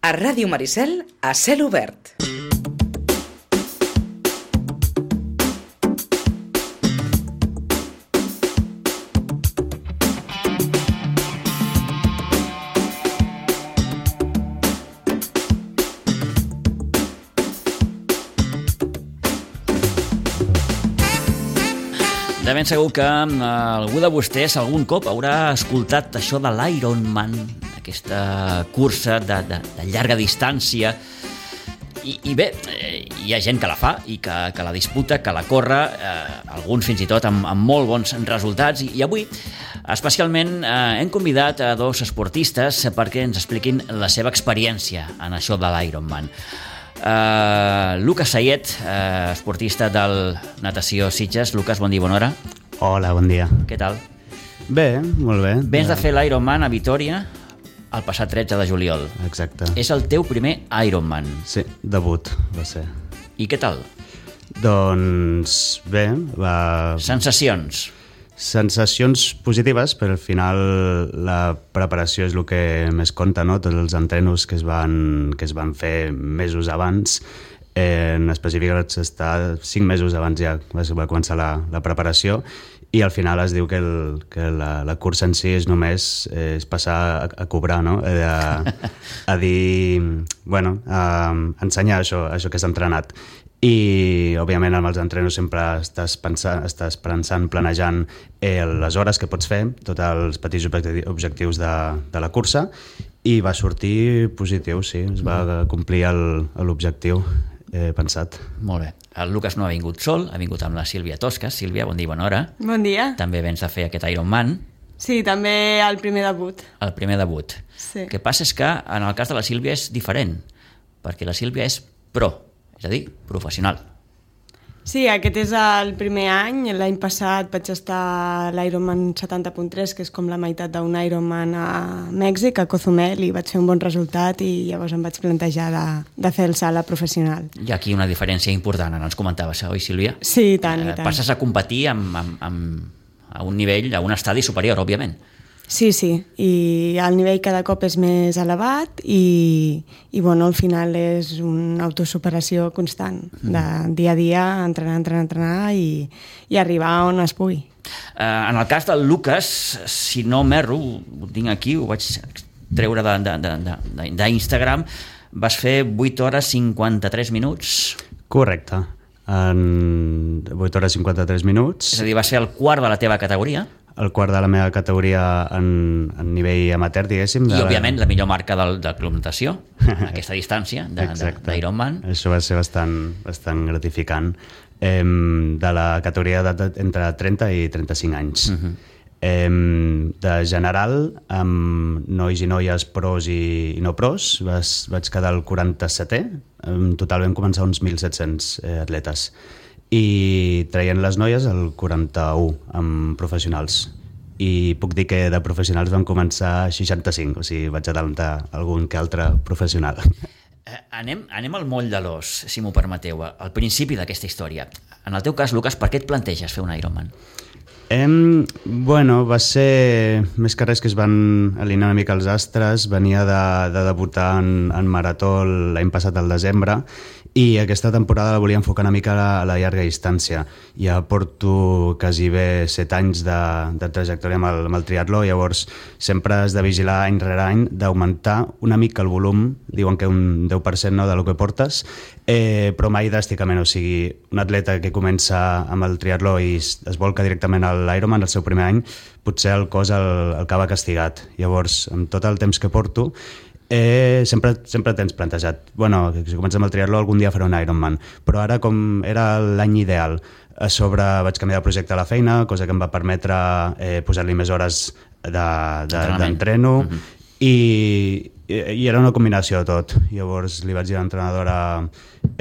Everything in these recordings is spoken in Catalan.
A Ràdio Maricel, a cel obert. De ben segur que algú de vostès algun cop haurà escoltat això de l'Ironman, aquesta cursa de llarga distància. I bé, hi ha gent que la fa i que la disputa, que la corre, alguns fins i tot amb molt bons resultats. I avui, especialment, hem convidat a dos esportistes perquè ens expliquin la seva experiència en això de l'Ironman. Lucas Sayet, esportista del Natació Sitges. Lucas, bon dia, bona hora. Hola, bon dia. Què tal? Bé, molt bé. Vens de fer l'Ironman a Vitoria el passat 13 de juliol. Exacte. És el teu primer Ironman. Sí, debut va ser. I què tal? Doncs bé, sensacions positives, però al final la preparació és el que més compta, no? Tots els entrenos que es van fer mesos abans, en específic vaig estar 5 mesos abans ja va començar la preparació, i al final es diu que la cursa en si és només passar a cobrar, no? A dir, bueno, a ensenyar això que has entrenat. I òbviament amb els entrenos sempre estàs pensant, planejant les hores que pots fer, tots els petits objectius de la cursa, i va sortir positiu, sí, es va complir l'objectiu pensat. Molt bé. El Lucas no ha vingut sol, ha vingut amb la Sílvia Toscas. Sílvia, bon dia, bona hora. Bon dia. També vens a fer aquest Ironman. Sí, també el primer debut. El primer debut. Sí. El que passa és que en el cas de la Sílvia és diferent, perquè la Sílvia és pro, és a dir, professional. Sí, aquest és el primer any. L'any passat vaig estar a l'Ironman 70.3, que és com la meitat d'un Ironman a Mèxic, a Cozumel, i vaig fer un bon resultat i llavors em vaig plantejar de fer el salt a professional. Hi ha aquí una diferència important, ens comentaves, oi, Sílvia? Sí, i tant, i tant. Passes a competir a un nivell, a un estadi superior, òbviament. Sí, i el nivell cada cop és més elevat i bueno, al final és una autosuperació constant, de dia a dia, entrenar i arribar on es pugui. En el cas del Lucas, si no m'erro, ho tinc aquí, ho vaig treure d'Instagram, vas fer 8 hores 53 minuts. Correcte, en 8 hores 53 minuts. És a dir, va ser el quart de la teva categoria. El quart de la meva categoria en nivell amateur, diguéssim. I, òbviament, la millor marca del Club Natació, aquesta distància d'Ironman. Això va ser bastant gratificant. De la categoria d'edat entre 30 i 35 anys. De general, amb nois i noies pros i no pros, vaig quedar al 47è. En total vam començar uns 1.700 atletes. I traient les noies el 41 amb professionals, i puc dir que de professionals vam començar 65, o sigui, vaig adelantar algun que altre professional. Anem al moll de l'os, si m'ho permeteu, al principi d'aquesta història. En el teu cas, Lucas, per què et planteges fer un Ironman? Bueno, va ser més que res que es van alinear una mica els astres. Venia de debutar en marató l'any passat al desembre, i aquesta temporada la volia enfocar una mica a la llarga distància. Ja porto quasi bé 7 anys de trajectòria amb el triatló, llavors sempre has de vigilar any rere any d'augmentar una mica el volum, diuen que un 10%, no, del que portes, però mai dràsticament. O sigui, un atleta que comença amb el triatló i es volca directament a l'Ironman el seu primer any, potser el cos el acaba castigat. Llavors, amb tot el temps que porto, sempre tens plantejat, bueno, si comences amb el triatló algun dia faré un Ironman, però ara, com era l'any ideal, a sobre vaig canviar de projecte a la feina, cosa que em va permetre posar-li més hores d'entreno, i era una combinació de tot. Llavors li vaig dir a l'entrenadora,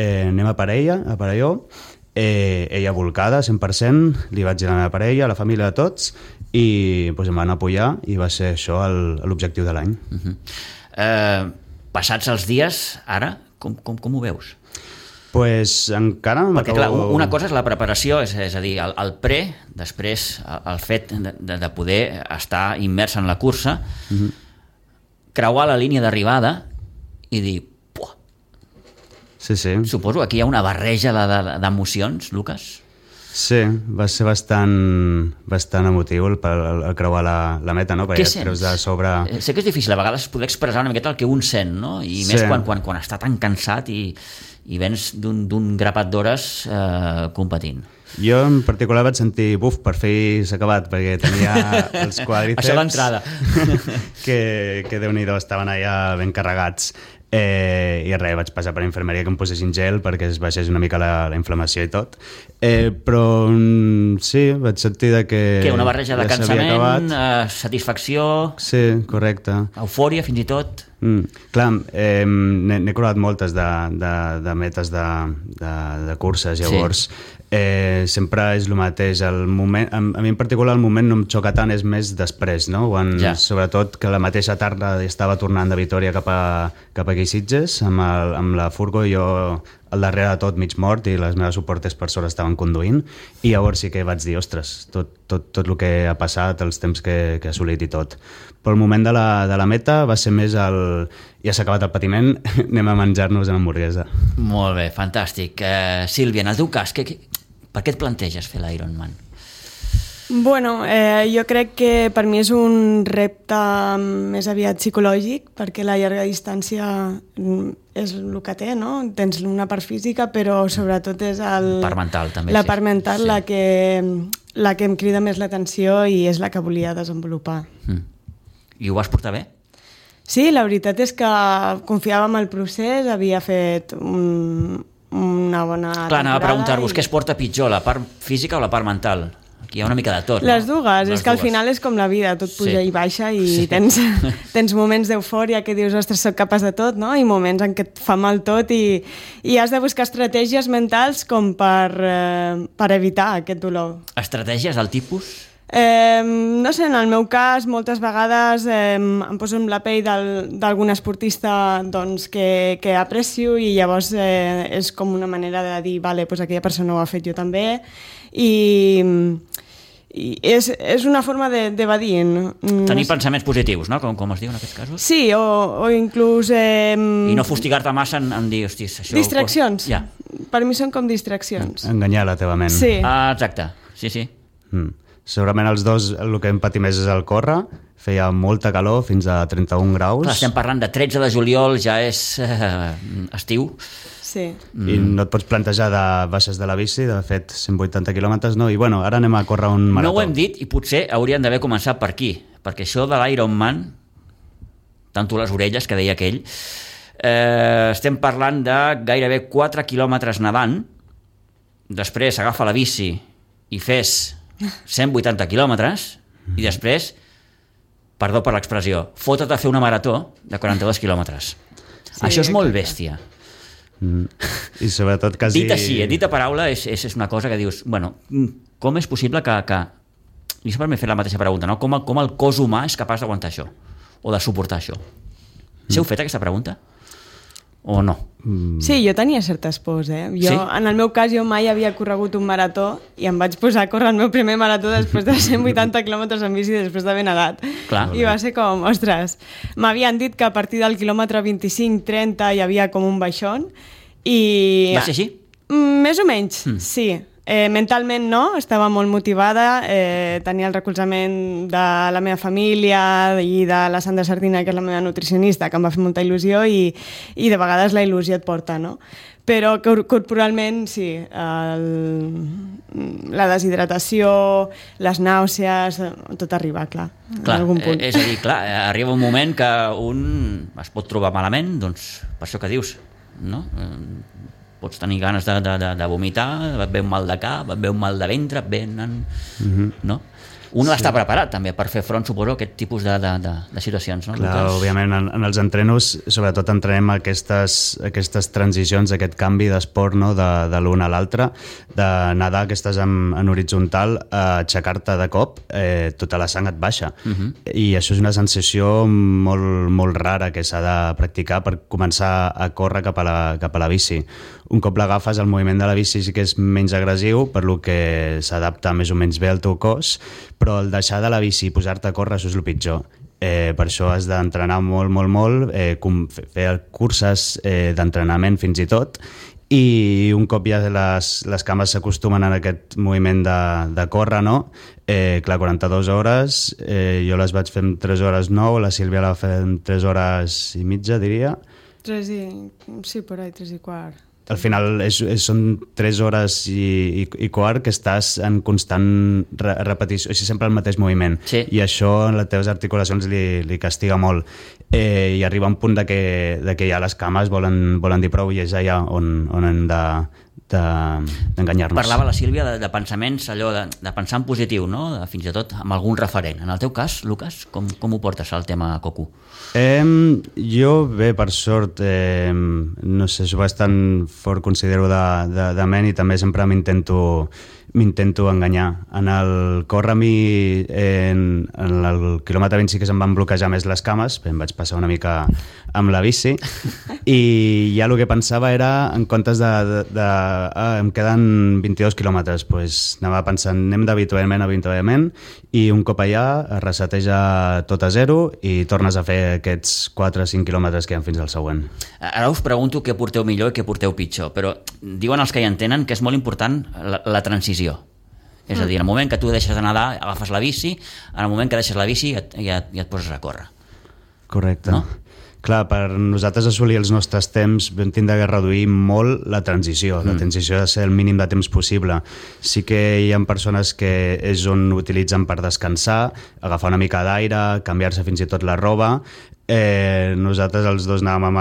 anem a parelló, ella volcada 100%, li vaig dir a la meva parella, a la família, a tots, i em van apoyar, i va ser això l'objectiu de l'any. Passats els dies, ara, com ho veus? Pues encara perquè clar, una cosa és la preparació, és a dir, el pre, després el fet de poder estar immers en la cursa, creuar la línia d'arribada i dir, puah. Sí. Suposo que aquí hi ha una barreja d'emocions, Lucas. Sí, va ser bastant emotiu el creuar la meta, no? Què sents? De sobre... Sé que és difícil a vegades poder expressar una miqueta el que un sent, no? I més quan està tan cansat i vens d'un grapat d'hores competint. Jo en particular vaig sentir, per fi s'ha acabat, perquè tenia els quadríceps... Això d'entrada. que Déu-n'hi-do, estaven allà ben carregats. I res, vaig passar per infermeria que em posessin gel perquè es baixés una mica la inflamació i tot, però sí, vaig sentir que una barreja de cansament, satisfacció, sí, correcte, eufòria fins i tot. Clar, n'he creuat moltes de metes de curses, llavors sempre és el mateix, el moment, a mi en particular el moment no em xoca tant, és més després, no? Sobretot que la mateixa tarda estava tornant de Vitòria cap aquí a Sitges amb la furgo, i jo al darrere de tot mig mort i les meves suportes per sobre estaven conduint, i llavors sí que vaig dir, ostres, tot el que ha passat, els temps que he assolit i tot. Però el moment de la meta va ser més ja s'ha acabat el patiment, anem a menjar-nos una hamburguesa. Molt bé, fantàstic. Sílvia, en el teu cas, per què et planteges fer l'Ironman? Bueno, jo crec que per mi és un repte més aviat psicològic, perquè la llarga distància és el que té, no? Tens una part física, però sobretot és part mental, també, la part mental, sí. la que em crida més l'atenció i és la que volia desenvolupar. I ho vas portar bé? Sí, la veritat és que confiava en el procés, havia fet una bona temporada. Clar, anava a preguntar-vos què es porta pitjor, la part física o la part mental? Aquí hi ha una mica de tot, Les dues, és que al final és com la vida, tot puja i baixa i tens moments d'eufòria que dius, ostres, soc capaç de tot, no? I moments en què et fa mal tot i has de buscar estratègies mentals com per evitar aquest dolor. Estratègies del tipus? No sé, en el meu cas moltes vegades em poso en la pell d'algun esportista doncs, que aprecio, i llavors és com una manera de dir, vale, doncs aquella persona ho ha fet, jo també, i és una forma d'evadir. Tenir pensaments positius, no? Com es diu en aquests casos? Sí, o inclús... I no fustigar-te massa en dir, hòsties, això... Distraccions. Ja. Per mi són com distraccions. Enganyar la teva ment. Sí. Exacte, sí. Segurament els dos el que em patir més és el córrer, feia molta calor, fins a 31 graus. Clar, estem parlant de 13 de juliol, ja és estiu. Sí. I no et pots plantejar de baixes de la bici, de fet 180 quilòmetres, no? I bueno, ara anem a córrer un marató. No ho hem dit i potser hauríem d'haver començat per aquí, perquè això de l'Ironman, tanto les orelles, que deia aquell, estem parlant de gairebé 4 quilòmetres nedant, després agafa la bici i fes 180 quilòmetres, i després, perdó per l'expressió, fotre't a fer una marató de 42 quilòmetres. Sí, això és molt bèstia. I sobretot quasi... Dit així, dit a paraula, és una cosa que dius, bueno, com és possible que... Jo sempre m'he fet la mateixa pregunta, no? Com el cos humà és capaç d'aguantar això, o de suportar això? S'heu fet aquesta pregunta? O no? Sí, jo tenia certes pors, Jo, sí? En el meu cas, jo mai havia corregut un marató i em vaig posar a córrer el meu primer marató després de 180 quilòmetres en bici després d'haver nedat. Clar. I va ser com, ostres, m'havien dit que a partir del quilòmetre 25-30 hi havia com un baixón i... Va ser així? Més o menys, sí. Mentalment no, estava molt motivada, tenia el recolzament de la meva família i de la Sandra Sardina, que és la meva nutricionista, que em va fer molta il·lusió, i de vegades la il·lusió et porta, no? Però corporalment, sí, la deshidratació, les nàusees, tot arriba, clar, en algun punt. És a dir, clar, arriba un moment que un es pot trobar malament, doncs, per això que dius, no? Pots tenir ganes de vomitar, et ve un mal de cap, et ve un mal de ventre, et venen... No? Un està preparat també per fer front, suposo, a aquest tipus de situacions, no? Clar, òbviament, en els entrenos, sobretot entrenem aquestes transicions, aquest canvi d'esport, no? de l'un a l'altre, de nedar que estàs en horitzontal, aixecar-te de cop, tota la sang et baixa. I això és una sensació molt, molt rara que s'ha de practicar per començar a córrer cap a la bici. Un cop l'agafes, el moviment de la bici sí que és menys agressiu, per lo que s'adapta més o menys bé al teu cos, però el deixar de la bici i posar-te a córrer, això és el pitjor. Per això has d'entrenar molt, molt, molt, fer curses d'entrenament fins i tot, i un cop ja les cames s'acostumen a aquest moviment de córrer, no? Clar, 42 hores, jo les vaig fer en 3 hores 9, la Sílvia la va fer en 3 hores i mitja, diria. Sí, por ahí, 3 i quart. Al final són 3 hores i quart que estàs en constant repetició, així sempre el mateix moviment. Sí. I això en les teves articulacions li castiga molt. I arriba un punt de que ja les cames volen dir prou, i és allà on hem d'enganyar-nos. Parlava la Sílvia de pensaments, allò de pensar en positiu, no? Fins i tot amb algun referent. En el teu cas, Lucas, com ho portes al tema Coco? Jo, bé, per sort, no sé, soc bastant fort, considero, de ment, i també sempre m'intento enganyar. En el córrer, a mi, en el quilòmetre 20 sí que se'm van bloquejar més les cames, em vaig passar una mica amb la bici, i ja el que pensava era, en comptes em queden 22 quilòmetres, doncs anava pensant, anem d'avituallament, i un cop allà es reseteja tot a zero i tornes a fer aquests 4 o 5 quilòmetres que hi ha fins al següent. Ara us pregunto què porteu millor i què porteu pitjor, però diuen els que hi entenen que és molt important la transició. És a dir, en el moment que tu deixes de nedar, agafes la bici, en el moment que deixes la bici ja et poses a córrer. Correcte. No? Clar, per nosaltres assolir els nostres temps vam tindre de reduir molt la transició. La transició ha de ser el mínim de temps possible. Sí que hi ha persones que és on utilitzen per descansar, agafar una mica d'aire, canviar-se fins i tot la roba. Nosaltres els dos anàvem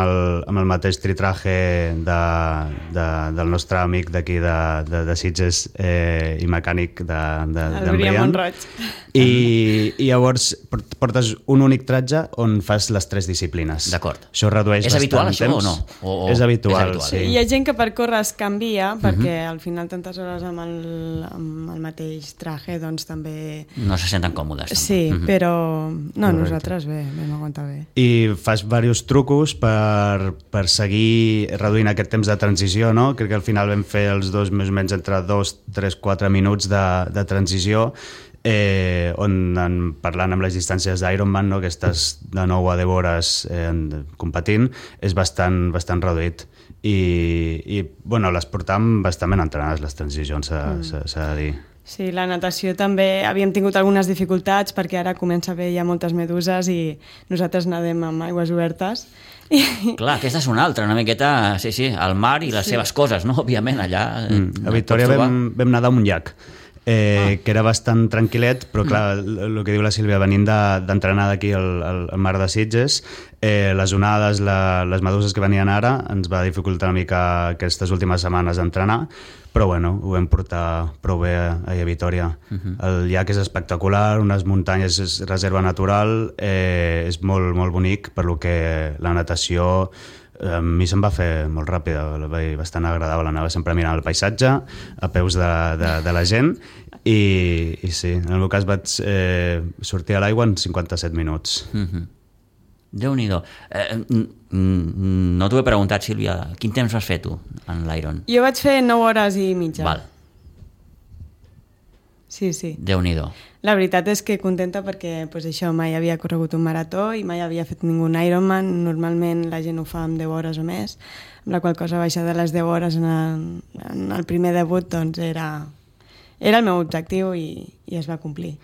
amb el mateix tritraje del nostre amic d'aquí de Sitges i mecànic d'en Brian. I llavors portes un únic tratge on fas les 3 disciplines. D'acord. Això redueix bastant temps. És habitual això o no? És habitual, sí. Hi ha gent que per córrer es canvia, perquè al final tantes hores amb el mateix traje doncs també... No se senten còmodes. Sí, però no, nosaltres bé, vam aguantar bé. I fas diversos trucos per seguir reduint aquest temps de transició, no? Crec que al final vam fer els dos més o menys entre 2, 3, 4 minuts de transició, on parlant amb les distàncies d'Ironman, no? Que estàs de 9 a 10 hores competint, és bastant reduït. I bueno, les portàvem bastant ben entrenades, les transicions, s'ha de dir. Sí, la natació també havíem tingut algunes dificultats perquè ara comença a haver ja moltes meduses i nosaltres nedem amb aigües obertes. Clar, aquesta és una altra, una miqueta, sí, el mar i les seves coses, no? Òbviament, allà... A Victòria vam nedar en un llac, que era bastant tranquil·let, però clar, el que diu la Sílvia, venint d'entrenar d'aquí al mar de Sitges, les onades, les meduses que venien ara, ens va dificultar una mica aquestes últimes setmanes d'entrenar, però bueno, ho vam portar prou bé a Vitòria. El llac és espectacular, unes muntanyes, és reserva natural, és molt, molt bonic, per lo que la natació a mi se'm va fer molt ràpida, bastant agradable, anava sempre mirant el paisatge, a peus de la gent, i sí, en el meu cas vaig sortir a l'aigua en 57 minuts. Déu-n'hi-do. No t'ho he preguntat, Sílvia, quin temps vas fer tu en l'Iron? Jo vaig fer 9 hores i mitja. Val. Sí. Déu-n'hi-do. La veritat és que contenta perquè pues, això, mai havia corregut un marató i mai havia fet ningú Ironman. Normalment la gent ho fa amb 10 hores o més, amb la qual cosa baixar de les 10 hores en el primer debut doncs era el meu objectiu i es va complir.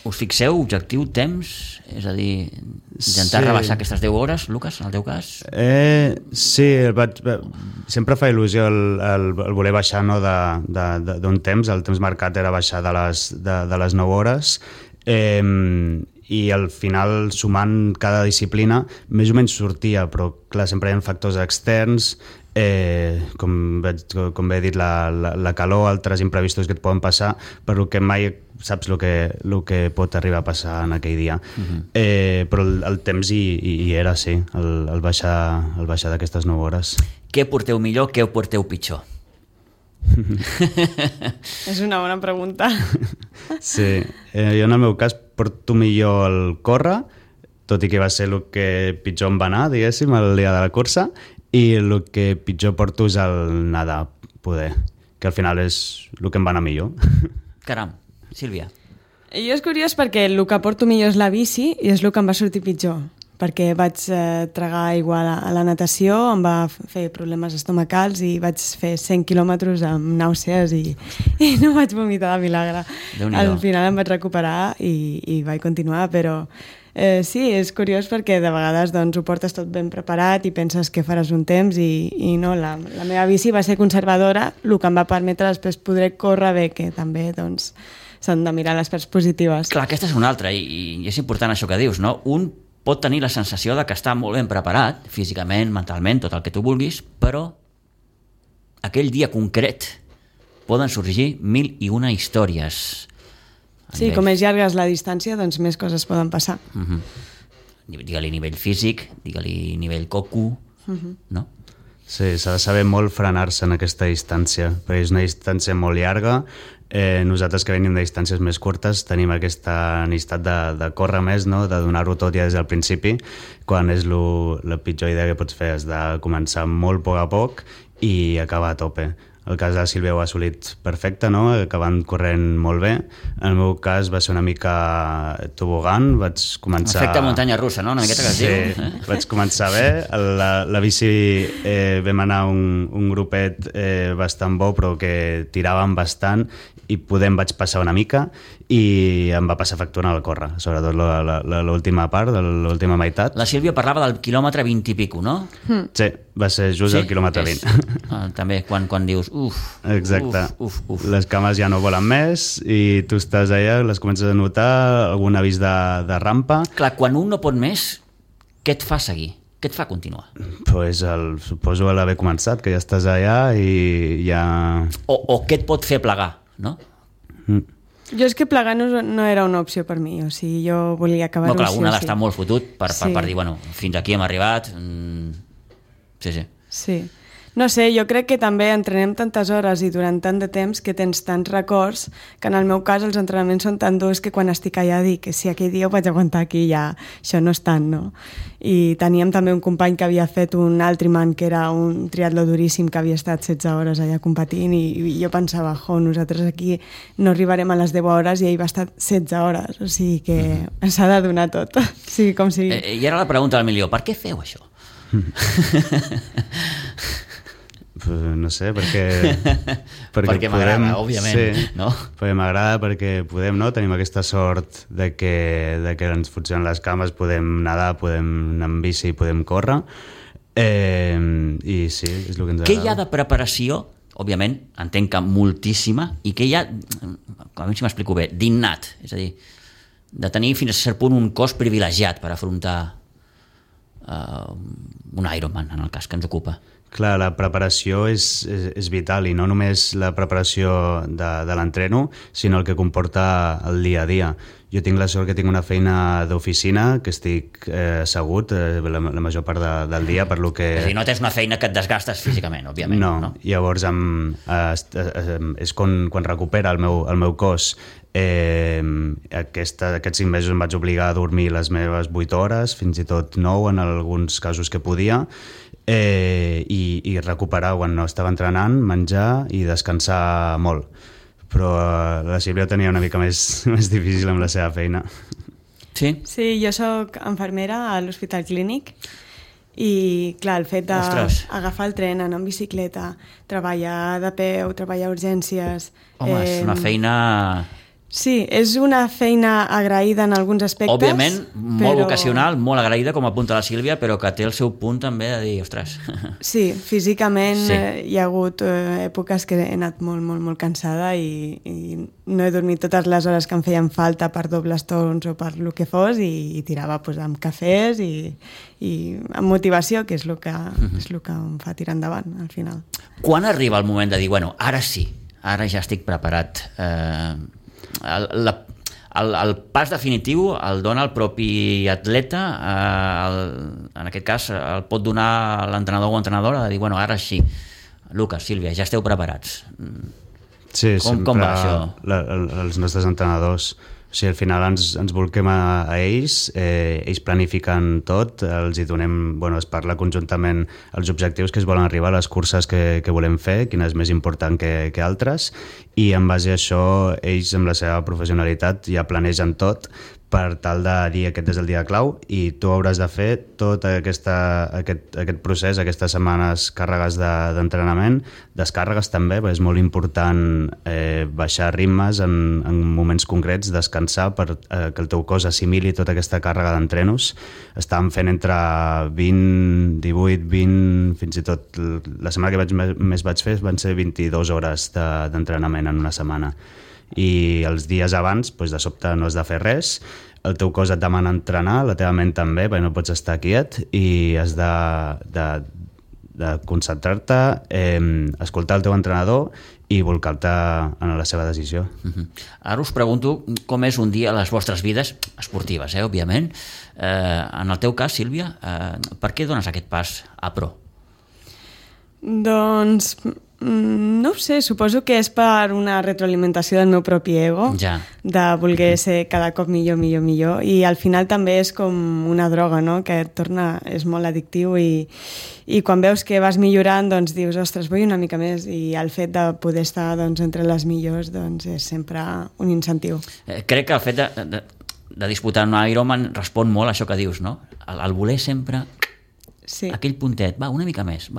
Us fixeu objectiu, temps? És a dir, intentar rebaixar aquestes 10 hores, Lucas, en el teu cas? Sí, sempre fa il·lusió el voler baixar, no, d'un temps. El temps marcat era baixar de les 9 hores, i al final, sumant cada disciplina, més o menys sortia, però clar, sempre hi ha factors externs, com bé he dit, la calor, altres imprevistos que et poden passar, per lo que mai saps el que pot arribar a passar en aquell dia. Però el temps hi era, sí, el baixar d'aquestes 9 hores. Què porteu millor, què ho porteu pitjor? És una bona pregunta. Sí, jo en el meu cas porto millor el córrer, tot i que va ser el que pitjor em va anar, diguéssim, el dia de la cursa, i el que pitjor porto és el nedar, poder, que al final és el que em va anar millor. Caram, Sílvia. Jo és curiós perquè el que porto millor és la bici i és el que em va sortir pitjor, perquè vaig tragar aigua a la natació, em va fer problemes estomacals i vaig fer 100 quilòmetres amb nàusees i no vaig vomitar de milagre. Al final em vaig recuperar i vaig continuar, però sí, és curiós perquè de vegades doncs, ho portes tot ben preparat i penses que faràs un temps i no, la meva bici va ser conservadora, el que em va permetre després poder córrer bé, que també doncs, s'han de mirar les parts positives. Clar, aquesta és una altra i és important això que dius, no? Un pot tenir la sensació de que està molt ben preparat, físicament, mentalment, tot el que tu vulguis, però aquell dia concret poden sorgir 1001 històries. Sí, com més llarga és la distància, doncs més coses poden passar. Digue-li nivell físic, digue-li nivell coco, no? Sí, s'ha de saber molt frenar-se en aquesta distància, perquè és una distància molt llarga. Nosaltres que venim de distàncies més curtes tenim aquesta necessitat de córrer més, no? De donar-ho tot ja des del principi, quan és la pitjor idea que pots fer és de començar molt a poc i acabar a tope. El cas de la Sílvia ho ha assolit perfecte, no? Acabant corrent molt bé. En el meu cas va ser una mica tobogan, vaig començar... Efecte muntanya russa, no? Una miqueta que es diu. Sí, vaig començar bé. La bici vam anar un grupet bastant bo, però que tiràvem bastant i vaig passar una mica i em va passar factura al córrer, sobretot l'última part, l'última meitat. La Sílvia parlava del quilòmetre 20 i pico, no? Sí, va ser just el quilòmetre 20. També quan dius exacte. Les cames ja no volen més i tu estàs allà, les comences a notar, algun avís de rampa. Clar, quan un no pot més, què et fa seguir? Què et fa continuar? Pues suposo l'haver començat, que ja estàs allà i ja... O què et pot fer plegar, no? Jo és que plegar no era una opció per mi, o sigui, jo volia acabar-ho. No, clar, un ha d'estar molt fotut per dir, bueno, fins aquí hem arribat. Sí. No sé, jo crec que també entrenem tantes hores i durant tant de temps que tens tants records que en el meu cas els entrenaments són tan durs que quan estic allà dic que si aquell dia ho vaig aguantar aquí ja això no és tant, no? I teníem també un company que havia fet un Ultraman, que era un triatló duríssim, que havia estat 16 hores allà competint i jo pensava, nosaltres aquí no arribarem a les 10 hores i ell va estar 16 hores, o sigui que s'ha de donar tot, sigui com sigui. I ara la pregunta del milió, per què feu això? No sé, perquè perquè m'agrada, òbviament, sí, no? Perquè m'agrada, perquè podem, no? Tenim aquesta sort de que ens funcionen les cames, podem nedar, podem anar amb bici, podem córrer, i sí, és el que ens agrada. Què hi ha de preparació? Òbviament, entenc que moltíssima, i què hi ha, a veure si m'explico bé, d'innat, és a dir, de tenir fins a cert punt un cos privilegiat per afrontar un Ironman, en el cas que ens ocupa. Clar, la preparació és vital, i no només la preparació de l'entreno, sinó el que comporta el dia a dia. Jo tinc la sort que tinc una feina d'oficina, que estic assegut la major part del dia, per lo que... És a dir, no tens una feina que et desgastes físicament, òbviament. No? Llavors és quan recupera el meu cos. Aquests 5 mesos em vaig obligar a dormir les meves 8 hores, fins i tot 9 en alguns casos que podia, i recuperar quan no estava entrenant, menjar i descansar molt. Però la Sílvia tenia una mica més difícil amb la seva feina. Sí? Sí, jo soc infermera a l'Hospital Clínic i, clar, el fet d'agafar el tren, anar en bicicleta, treballar de peu, treballar a urgències... Home, és una feina... Sí, és una feina agraïda en alguns aspectes. Òbviament, molt vocacional, molt agraïda, com apunta la Sílvia, però que té el seu punt també de dir, ostres... Sí, físicament hi ha hagut èpoques que he anat molt, molt, molt cansada i no he dormit totes les hores que em feien falta per dobles torns o per el que fos i tirava amb cafès i amb motivació, que és el que em fa tirar endavant, al final. Quan arriba el moment de dir, bueno, ara sí, ara ja estic preparat... El pas definitiu el dona el propi atleta, en aquest cas el pot donar l'entrenador o entrenadora de dir, bueno, ara sí, Lucas, Sílvia, ja esteu preparats. Sí, com va això? Els nostres entrenadors O sigui, al final ens volquem a ells, ells planifiquen tot, els hi donem, es parla conjuntament els objectius que es volen arribar, les curses que volem fer, quina és més important que altres, i en base a això ells amb la seva professionalitat ja planegen tot per tal de dir aquest és el dia clau i tu hauràs de fer tot aquest procés, aquestes setmanes càrregues d'entrenament, descàrregues també, perquè és molt important baixar ritmes en moments concrets, descansar per que el teu cos assimili tota aquesta càrrega d'entrenos. Estàvem fent entre 20, 18, 20, fins i tot la setmana que més vaig fer van ser 22 hores d'entrenament en una setmana. I els dies abans, de sobte no has de fer res, el teu cos et demana entrenar, la teva ment també, perquè no pots estar quiet i has de concentrar-te, escoltar el teu entrenador i volcar-te en la seva decisió. Ara us pregunto com és un dia a les vostres vides esportives, òbviament. En el teu cas, Sílvia, per què dones aquest pas a pro? Doncs no ho sé, suposo que és per una retroalimentació del meu propi ego, de voler ser cada cop millor, i al final també és com una droga, no? Que et torna, és molt addictiu i quan veus que vas millorant doncs dius, ostres, vull una mica més, i el fet de poder estar entre les millors doncs és sempre un incentiu. Crec que el fet de disputar un Ironman respon molt a això que dius, no? El voler sempre... Sí. Aquell puntet, va una mica més.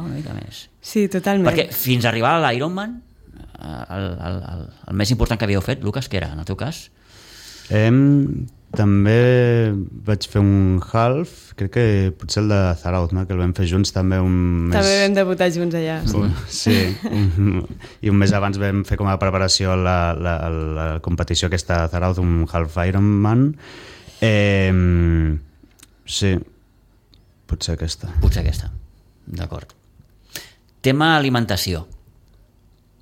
Sí, totalment. Perquè fins a arribar a l'Ironman, el més important que havíeu fet, Lucas, què era, en el teu cas? També vaig fer un half, crec que potser el de Zarauz, no? Que el vam fer junts també un mes... També vam debutar junts allà. Sí, i un mes abans vam fer com a preparació la competició aquesta de Zarauz, un half Ironman. Sí, potser aquesta, d'acord. Tema alimentació.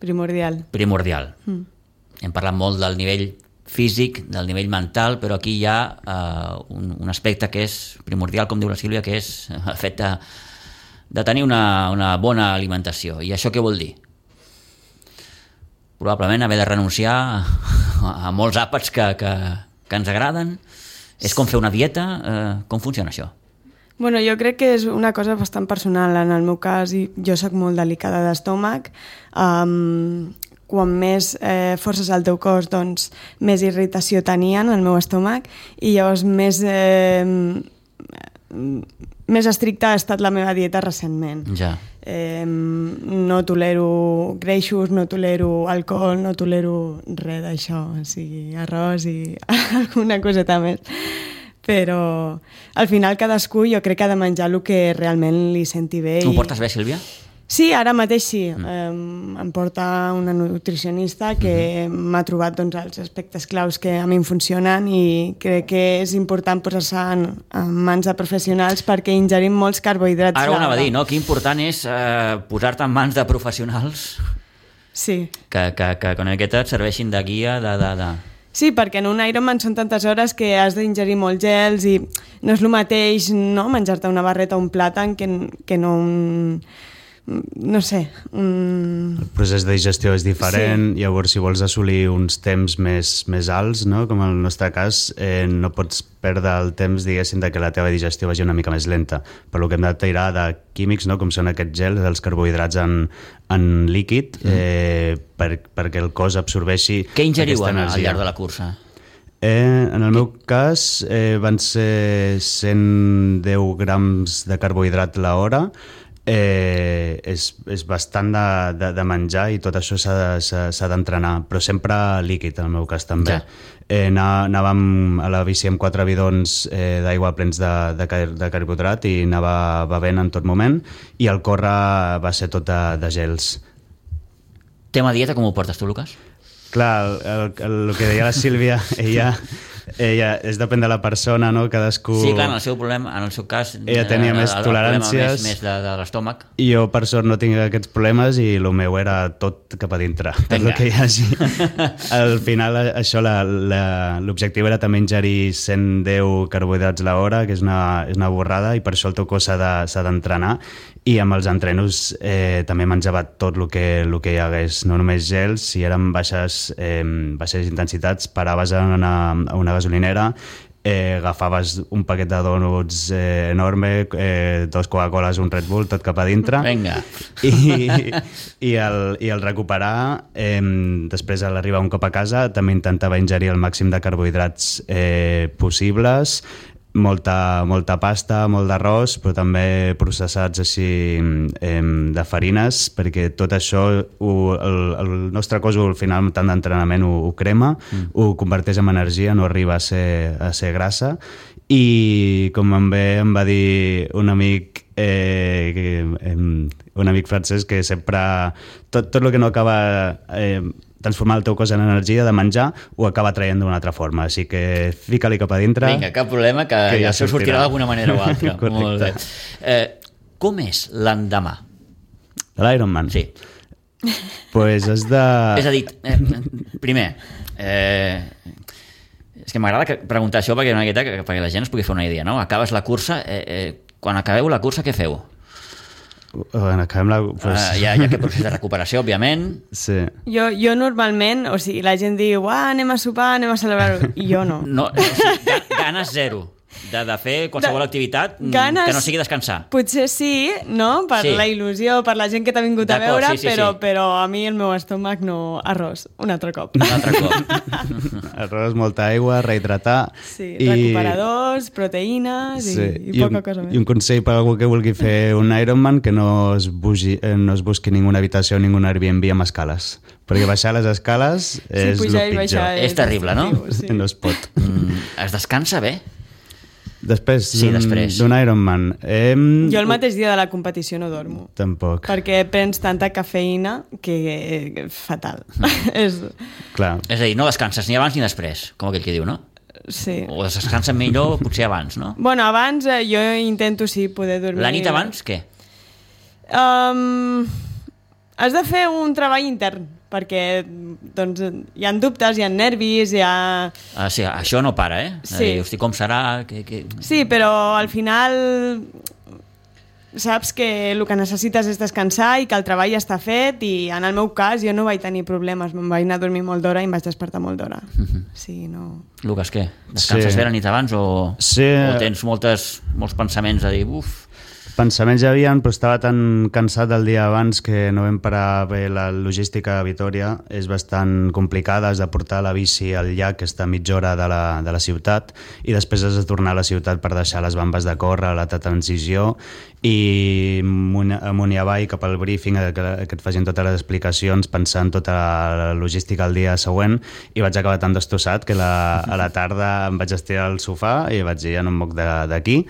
Primordial. Hem parlat molt del nivell físic, del nivell mental, però aquí hi ha un aspecte que és primordial, com diu la Sílvia, que és el fet de tenir una bona alimentació. I això què vol dir? Probablement haver de renunciar a molts àpats que ens agraden. És com fer una dieta? Com funciona això? Bueno, jo crec que és una cosa bastant personal. En el meu cas, jo soc molt delicada d'estómac. Quan més forces al teu cos, doncs més irritació tenia en el meu estómac i llavors més estricta ha estat la meva dieta recentment. Ja. No tolero greixos, no tolero alcohol, no tolero res d'això, o sigui, arròs i alguna coseta més. Però al final cadascú jo crec que ha de menjar el que realment li senti bé. Tu ho portes bé, Sílvia? Sí, ara mateix sí. Em porta una nutricionista que m'ha trobat els aspectes claus que a mi em funcionen i crec que és important posar-se en mans de professionals perquè ingerim molts carbohidrats. Ara ho anava a dir, no? Que important és posar-te en mans de professionals que con aquesta et serveixin de guia Sí, perquè en un Ironman són tantes hores que has d'ingerir molts gels i no és el mateix menjar-te una barreta o un plàtan que no un... no sé... El procés de digestió és diferent, llavors si vols assolir uns temps més alts, no? Com en el nostre cas, no pots perdre el temps, diguéssim, de que la teva digestió vagi una mica més lenta. Per lo que hem de tirar de químics, no? Com són aquests gels, els carbohidrats en líquid, perquè el cos absorbeixi aquesta energia. Què ingeriu al llarg de la cursa? En el meu cas van ser 110 grams de carbohidrat l'hora. És bastant de menjar i tot això s'ha d'entrenar, però sempre líquid en el meu cas també. Anàvem a la bici amb 4 bidons d'aigua plens de carbohidrat i anava bevent en tot moment i el córrer va ser tot de gels. Tema dieta, com ho portes tu, Lucas? Clar, el que deia la Sílvia, ella és depèn de la persona, no? Cadascú... Sí, clar, en el seu cas... Ella tenia més toleràncies. Més de l'estómac. I jo, per sort, no tinc aquests problemes i el meu era tot cap a dintre. Per el que hi hagi. Al final, això, l'objectiu era també ingerir 110 carbohidrats l'hora, que és una borrada, i per això el teu cos s'ha d'entrenar. i amb els entrenos també menjava tot el que hi hagués, no només gels. Si eren baixes intensitats, paraves a una gasolinera, agafaves un paquet de dònuts enorme, 2 Coca-Coles, un Red Bull, tot cap a dintre. Vinga. I el recuperar, després a l'arribar un cop a casa també intentava ingerir el màxim de carbohidrats possibles, molta pasta, molt d'arròs, però també processats així de farines, perquè tot això el nostre cos al final, tant d'entrenament, ho crema, ho converteix en energia, no arriba a ser grassa. I com em va dir un amic francès, que sempre tot el que no acaba transformar el teu cos en energia de menjar, ho acaba traient d'una altra forma. Així que fica-li cap a dintre. Vinga, cap problema, que ja això sortirà d'alguna manera o altra. Molt bé. Com és l'endemà? De l'Ironman? Sí. Pues has de... És a dir, primer, és que m'agrada preguntar això perquè la gent es pugui fer una idea, no? Acabes la cursa, quan acabeu la cursa, què feu? Acabem hi ha aquest procés de recuperació, òbviament. Sí. Jo normalment, o sigui, la gent diu anem a sopar, anem a celebrar-ho, i jo no. Ganes zero de fer qualsevol activitat ganes, que no sigui descansar. Potser sí, no? Per la il·lusió, per la gent que t'ha vingut a veure, però a mi el meu estómac no... Arròs, un altre cop. Arròs, molta aigua, rehidratar. Sí, recuperadors, proteïnes i poca cosa més. I un consell per a algú que vulgui fer un Ironman, que no es busqui ninguna habitació, ningun Airbnb amb escales. Perquè baixar les escales és el pitjor. És terrible, no? Sí. No es pot. Es descansa bé? Després d'un Ironman. Jo el mateix dia de la competició no dormo. Tampoc. Perquè prens tanta cafeïna que fatal. Clar. És a dir, no descanses ni abans ni després, com aquell que diu, no? Sí. O descanses millor potser abans, no? Bueno, abans jo intento poder dormir... La nit abans, què? Has de fer un treball intern, perquè doncs, hi ha dubtes, hi ha nervis, hi ha... Sí, això no para, Sí. Hosti, com serà? Sí, però al final saps que el que necessites és descansar i que el treball està fet, i en el meu cas jo no vaig tenir problemes, me'n vaig anar a dormir molt d'hora i em vaig despertar molt d'hora. Sí, no... Lucas, què? Descanses bé la nit abans o tens molts pensaments de dir Pensaments hi havia, però estava tan cansat del dia abans que no vam parar bé. La logística a Vitòria és bastant complicada, has de portar la bici al llac, que està a mitja hora de la ciutat, i després has de tornar a la ciutat per deixar les bambes de córrer, la transició, i amunt i avall cap al briefing, que et facin totes les explicacions, pensant tota la logística el dia següent, i vaig acabar tan destossat que a la tarda em vaig estirar al sofà i vaig dir, ja no em moc d'aquí.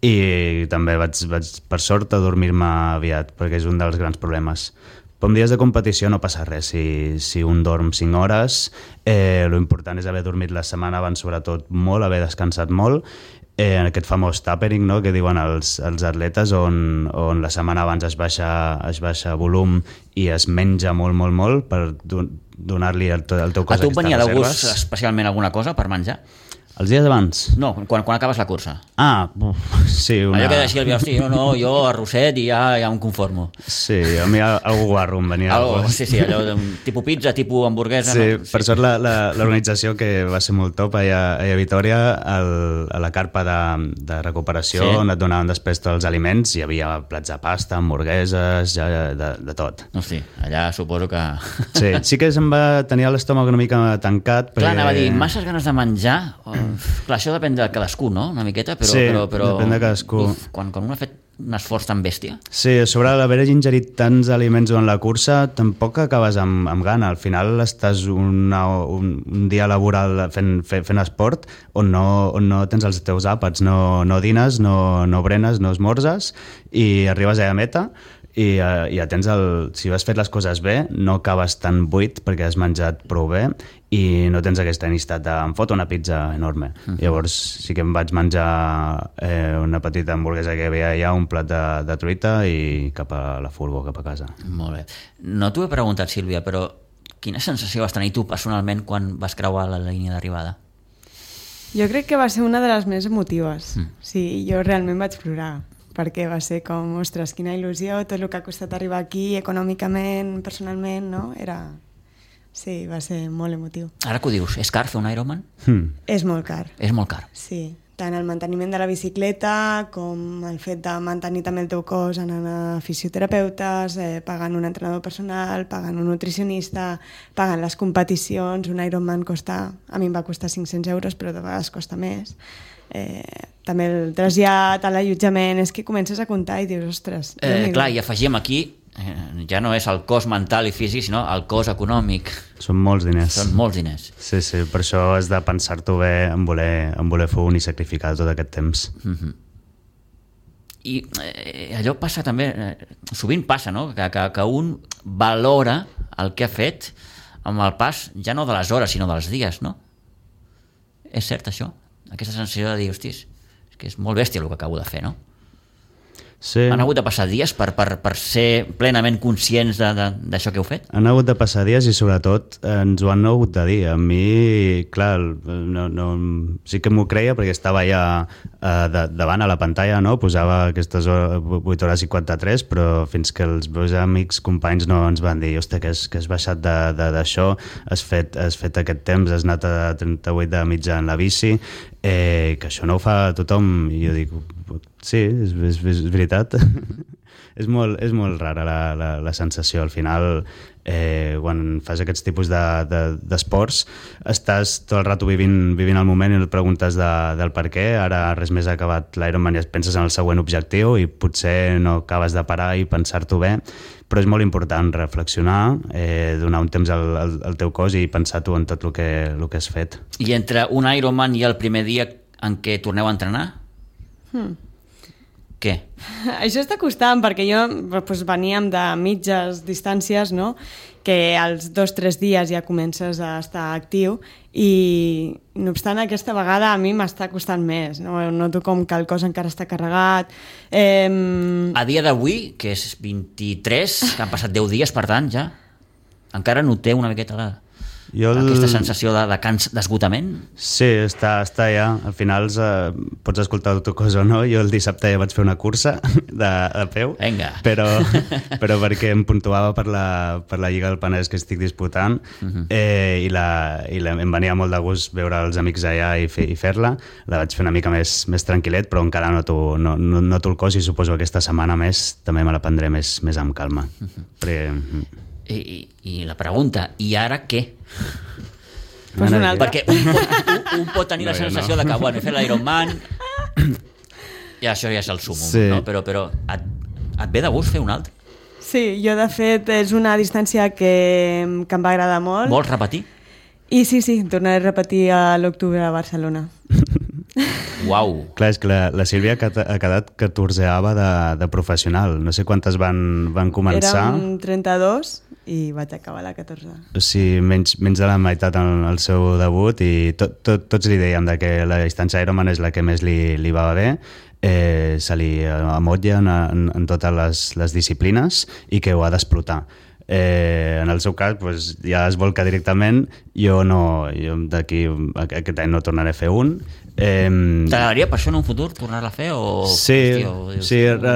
I també vaig per sort, a dormir-me aviat, perquè és un dels grans problemes. Però en dies de competició no passa res. Si un dorm 5 hores, l'important és haver dormit la setmana abans, sobretot molt, haver descansat molt, en aquest famós tapering, no?, que diuen els atletes, on la setmana abans es baixa volum i es menja molt per donar-li al teu cos aquestes reserves. A tu venia de gust especialment alguna cosa per menjar? Els dies abans? No, quan acabes la cursa. Sí. Allò que deixi el hosti, jo arrosset i ja em conformo. Sí, a mi algú guarro em venia. Sí, allò tipus pizza, tipus hamburguesa. Sí, per sort l'organització, que va ser molt top allà a Vitòria, a la carpa de recuperació, on et donaven després tots els aliments, hi havia plats de pasta, hamburgueses, de tot. Hosti, allà suposo que... Sí que se'm va tenir l'estómac una mica tancat. Clar, anava a dir, masses ganes de menjar... Clar, això depèn de cadascú, no? Una miqueta, però depèn de cadascú. Quan un ha fet un esforç tan bèstia. Sí, sobre l'haver ingerit tants aliments durant la cursa, tampoc acabes amb gana. Al final estàs un dia laboral fent esport on no tens els teus àpats, no dines, no brenes, no esmorzes, i arribes a la meta i ja tens si has fet les coses bé, no acabes tan buit perquè has menjat prou bé i no tens aquesta necessitat de em foto una pizza enorme. Llavors sí que em vaig menjar una petita hamburguesa que hi havia allà, un plat de truita, i cap a la furgo, cap a casa. Molt bé. No t'ho he preguntat, Sílvia, però quina sensació vas tenir tu personalment quan vas creuar la línia d'arribada? Jo crec que va ser una de les més emotives. Sí, jo realment vaig plorar. perquè va ser com, ostres, quina il·lusió, tot el que ha costat arribar aquí, econòmicament, personalment, no? Sí, va ser molt emotiu. Ara que ho dius, és car fer un Ironman? És molt car. És molt car. Sí, tant el manteniment de la bicicleta com el fet de mantenir també el teu cos anant a fisioterapeutes, pagant un entrenador personal, pagant un nutricionista, pagant les competicions. Un Ironman a mi em va costar 500 euros, però de vegades costa més. També el trasllat, l'allotjament, és que comences a comptar i dius, ostres... Clar, i afegim aquí, ja no és el cost mental i físic, sinó el cost econòmic. Són molts diners. Són molts diners. Sí, per això has de pensar-t'ho bé en voler fer un i sacrificar tot aquest temps. I allò passa també, sovint passa, no? Que un valora el que ha fet amb el pas, ja no de les hores, sinó dels dies, no? És cert, això? Aquesta sensació de dir, hostis, és que és molt bèstia el que acabo de fer, no? Sí. Han hagut de passar dies per ser plenament conscients d'això que heu fet? Han hagut de passar dies i sobretot ens ho han hagut de dir. A mi, clar, sí que m'ho creia perquè estava ja davant a la pantalla, no? Posava aquestes 8 hores i 53, però fins que els meus amics, companys no ens van dir, hosti, que has baixat d'això, has fet aquest temps, has anat a 38 de mitja en la bici, que això no ho fa tothom. I jo dic, sí, és veritat. és molt rara la sensació. Al final, quan fas aquests tipus d'esports, estàs tot el rato vivint el moment i et preguntes del per què. Ara res més ha acabat l'Ironman i et penses en el següent objectiu i potser no acabes de parar i pensar-t'ho bé, però és molt important reflexionar, donar un temps al teu cos i pensar tu en tot el que has fet. I entre un Ironman i el primer dia en què torneu a entrenar? Què? Això està costant, perquè jo veníem de mitges distàncies, no? Que als 2-3 dies ja comences a estar actiu i, no obstant, aquesta vegada a mi m'està costant més, no? Noto com que el cos encara està carregat. A dia d'avui, que és 23, que han passat 10 dies, per tant, ja, encara noteu una miqueta aquesta sensació d'esgotament? Sí, està ja. Al final pots escoltar el teu cos o no. Jo el dissabte ja vaig fer una cursa de peu, Venga. però perquè em puntuava per la Lliga del Penedès que estic disputant, i em venia molt de gust veure els amics allà i fer-la. La vaig fer una mica més tranquil·let, però encara noto el cos i suposo que aquesta setmana més també me la prendré més amb calma. I la pregunta, i ara què? Pues una altra. Perquè un pot tenir la sensació de que, bueno, he fet l'Ironman i això ja és el súmum, sí. No? Però et ve de gust fer un altre? Sí, jo de fet és una distància que em va agradar molt. Vols repetir? I sí, tornaré a repetir a l'octubre a Barcelona. Uau. Clar, és que la Sílvia ha quedat 14ava de professional. No sé quantes van començar. Érem 32 i vaig acabar la 14. O sigui, menys de la meitat en el seu debut, i tots li dèiem que la distància Ironman és la que més li va bé. Se li amotlla en totes les disciplines i que ho ha d'explotar. En el seu cas ja es volca directament. Jo d'aquí aquest any no tornaré a fer un. T'agradaria per això en un futur tornar-la a fer? Sí,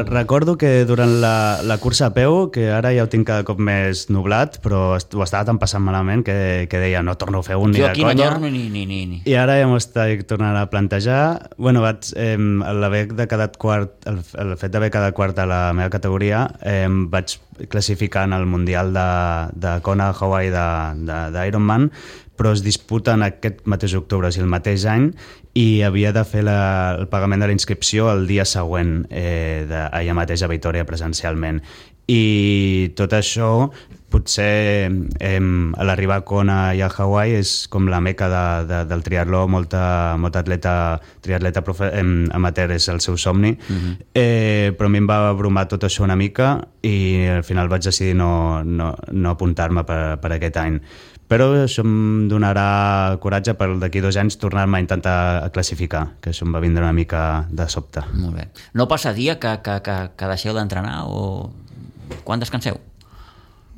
recordo que durant la cursa a peu, que ara ja ho tinc cada cop més nublat, però ho estava tan passant malament que deia no torno a fer un ni de conya. Jo aquí no torno ni. I ara ja m'ho estic tornant a plantejar. Bueno, el fet d'haver quedat quart a la meva categoria, vaig classificar en el Mundial de Kona, Hawaii d'Ironman, però es disputen aquest mateix octubre, o sigui, el mateix any, i havia de fer el pagament de la inscripció el dia següent, allà mateix a Vitòria presencialment. I tot això, potser a l'arribar a Kona i a Hawaii és com la meca del triatló. Molta triatleta amateur és el seu somni, però a mi em va abrumar tot això una mica i al final vaig decidir no apuntar-me per aquest any. Però això em donarà coratge per d'aquí 2 anys tornar-me a intentar classificar, que això em va vindre una mica de sobte. Molt bé. No passa dia que deixeu d'entrenar o quan descanseu?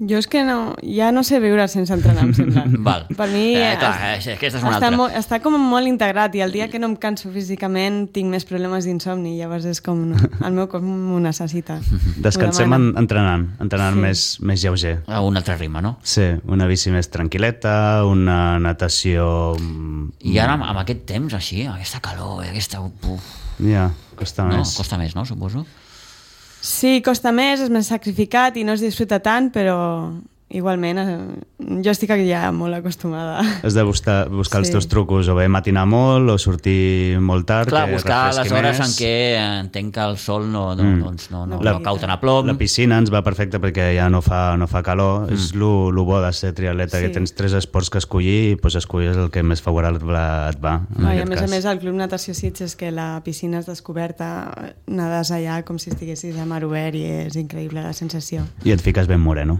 Jo és que ja no sé viure sense entrenar, em sembla. Val. Per mi aquesta és una altra. Està com molt integrat i el dia que no em canso físicament tinc més problemes d'insomni, llavors és com el meu cos m'ho necessita. Descansem entrenant més lleuger. A un altre ritme, no? Sí, una bici més tranquil·leta, una natació... I ara amb aquest temps així, aquesta calor, aquesta... Ja, costa més. Costa més, no, suposo? Sí, costa més, és més sacrificat i no es disfruta tant, però igualment jo estic ja molt acostumada. Has de buscar els teus trucos, o bé matinar molt o sortir molt tard. Clar, buscar les hores en què entenc que el sol no cau tan a plom. La piscina ens va perfecta perquè ja no fa calor. És lo bo de ser triatleta, que tens 3 esports que escollir i escolles el que més favorable et va. I a més al Club Natació Sitges és que la piscina és descoberta, nades allà com si estiguessis a mar obert i és increïble la sensació. I et fiques ben moreno.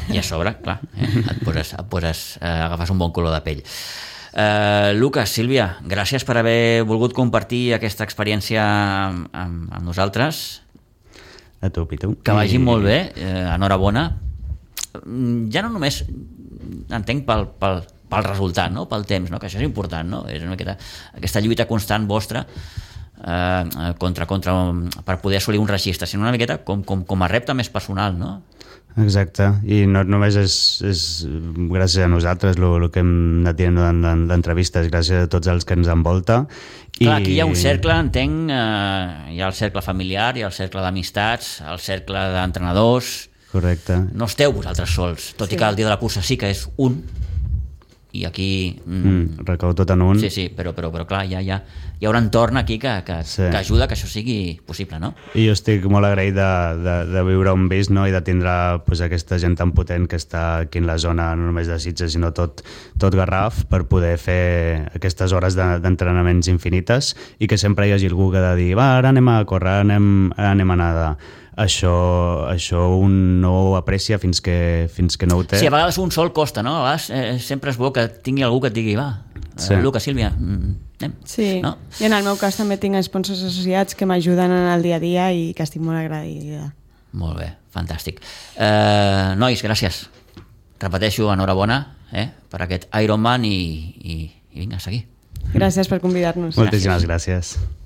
I a sobre, clar, agafes un bon color de pell. Lucas, Sílvia, gràcies per haver volgut compartir aquesta experiència amb nosaltres. A tu, Pitu. Que vagi molt bé, enhorabona. Ja no només entenc pel resultat, no? Pel temps, no? Que això és important, no? És una miqueta aquesta lluita constant vostra per poder assolir un registre, sinó una miqueta com a repte més personal, no? Exacte, i no només és gràcies a nosaltres el que hem anat dient d'entrevistes, gràcies a tots els que ens envolta. Clar, aquí hi ha un cercle, entenc, hi ha el cercle familiar, hi ha el cercle d'amistats, el cercle d'entrenadors. Correcte. No esteu vosaltres sols, tot i que el dia de la cursa sí que és un, i aquí... recau tot en un. Sí, però clar, hi ha un entorn aquí que ajuda que això sigui possible, no? I jo estic molt agraït de viure on visc, no? I de tindre aquesta gent tan potent que està aquí en la zona, no només de Sitges, sinó tot Garraf, per poder fer aquestes hores d'entrenaments infinites i que sempre hi hagi algú que ha de dir ara anem a córrer, ara anem a nedar. Això un no ho aprecia fins que no ho té. Sí, a vegades un sol costa, no? A vegades sempre és bo que tingui algú que et digui Lucas, Sílvia, anem. Sí, no? I en el meu cas també tinc sponsors associats que m'ajuden en el dia a dia i que estic molt agraïda. Molt bé, fantàstic. Nois, gràcies. Repeteixo, enhorabona per aquest Ironman i vinga, a seguir. Gràcies per convidar-nos. Moltíssimes gràcies.